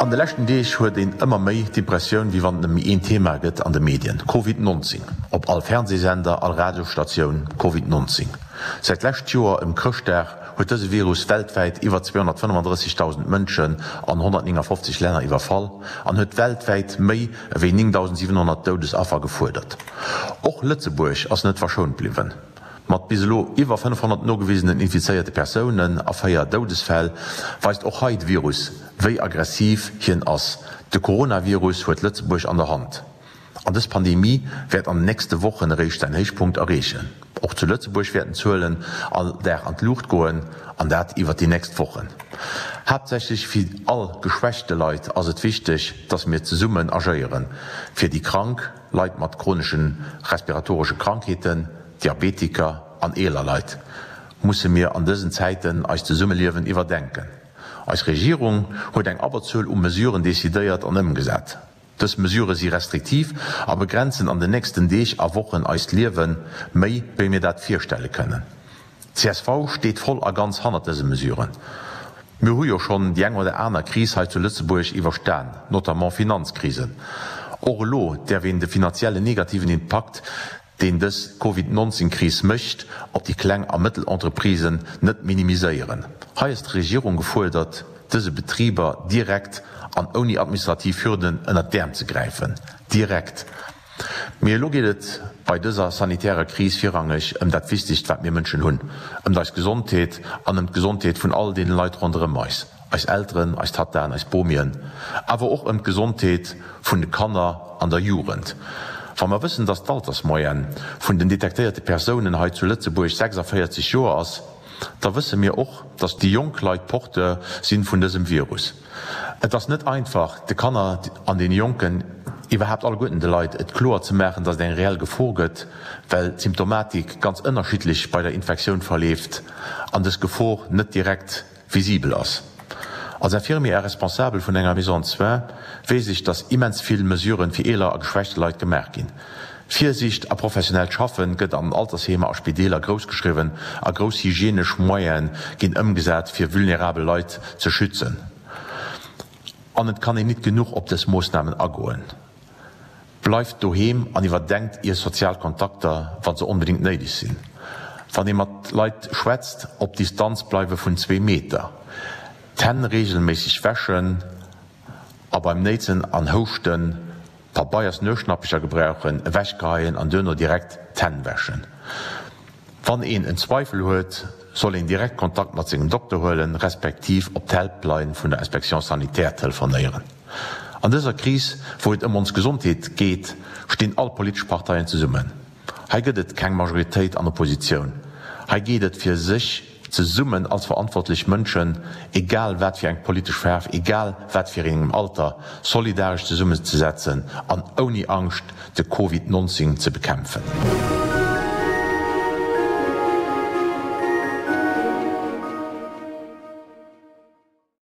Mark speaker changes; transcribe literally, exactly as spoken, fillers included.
Speaker 1: An de leschten Deeg huet een ëmmer méi d'Impressioun, wéi wann et nëmme een Thema gëtt an de Medien, Covid nonzéng. Op all Fernsehsender, all Radiosstatioun, Covid nonzéng. Säit d'lescht Joer ëm Chrëschtdag huet dëse Virus weltwäit iwwer zweehonnertfënnefandrëssigdausend Mënschen an honnertnéngafofzeg Länner iwwerfall an huet weltwäit méi ewéi néngdausendsiwenhonnert Doudesaffer gefuerdert. Och Lëtzebuerg ass net verschount bliwwen. Mat bis elo iwwer fënnefhonnert nogewisenen infizéierte Persounen a véier Doudesfäll weist och hei de Virus, wéi aggressiv hien ass. De Coronavirus huet Lëtzebuerg an der Hand. An dës Pandemie wäert an den nächste Wochen eréischt säin Héichpunkt erreechen. Och zu Lëtzebuerg wäerten d'Zuelen all Dag an d'Luucht goen, an dat iwwer déi nächst Wochen. Haaptsächlech fir all geschwächte Leit ass et wichteg, dass mir zesummen agéieren, fir déi Krank, Leit mat chronesche respiratoresche Krankheeten, Diabetiker an eeler Leit, musse mir an dësen Zäiten eist Zesummeliewen iwwerdenken. Eis Regierung huet eng Abberzuel u Mesuren decidéiert an ëmgesat. Dës Mesurë si restriktiv a begrenzen an den nächsten Deeg a Wochen eist Liewe méi, wéi mir dat virstelle kënnen. Csv steet voll a ganz hannert dëse Mesuren. Mir hu jo schonn déi eng oder aner Kris hei zu Lëtzebuerg iwwerstan, notamment Finanzkrisen. Och elo däerf een de finanziellen negativen Impakt, deen dës Covid nonzéng Kris mécht op déi kleng a mëttel Entreprisen, net minimiséieren. Hei ass d'Regierung gefuerdert, dëse Betriber direkt an ouni administrativ Hürden ënnert d'Äerm ze gräifen. Direkt! Mee elo geet et bei dëser sanitärer Kris virrangeg ëm dat Wichtegst, wat mir Mënschen hunn, ëm eis Gesondheet an ëm d'Gesondheet vun all deene Leit ronderëm eis, eis Elteren, eis Tattaen, eis Bomien, awer och ëm d'Gesondheet vun de Kanner an der Jugend. Wa mer wëssen, dass d'Altersmoyenne vun den detektéierte Persounen hei zu Lëtzebuerg sechsavéierzeg Joer ass, da wësse mir och, dass déi jonk Leit Porteur si vun dësem Virus. Et ass net einfach, de Kanner an deene Jonken, iwwerhaapt alleguerten de Leit, et kloer ze maachen, dass et eng reell Gefor gëtt, well d'Symptomatik ganz ënnerschiddlech bei der Infektioun verleeft an dës Gefor net direkt visibel ass. Als Infirmier a Responsabel vun enger Maison de soins weess ech, dass immens vill Mesuren fir eeler a geschwächte Leit gemaach ginn. Virsiicht a professionellt Schaffen gëtt an Altersheemer a Spideeler grouss geschriwwen a grouss hygienesch Moyene ginn ëmgesat fir vulnerabel Leit ze schützen. An et kann een nit genuch op dës Moossnamen agoen. Bleift doheem an iwwerdenkt ier sozial Kontakter, wa se onbedéngt néideg sinn. Wann ee mat Leit schwätzt, op Distanz bleiwe vun zwee Meter, d'Hänn reegelméisseg wäschen a beim Néitsen an Houschten Pabeiers-Nueschnappecher gebrauchen, ewechgeheien an duerno direkt d'Hänn wäschen. Wann een en Zweifel huet, soll een direkt Kontakt mat sengem Dokter huelen, respektiv op d'Helpline vun der Inspection sanitaire telefonéieren. An dëser Kris, wou et ëm ons Gesondheet geet, stinn all politesch Parteien zesummen. Hei gëtt et keng Majoritéit an Oppositioun. Hei geet et fir sech zesummen als verantwortlech Mënschen, egal wat fir eng politesch Faarf, egal wat fir engem Alter, solidaresch zesummenzesetzen an ouni Angscht de Covid nonzéng ze bekämpfen.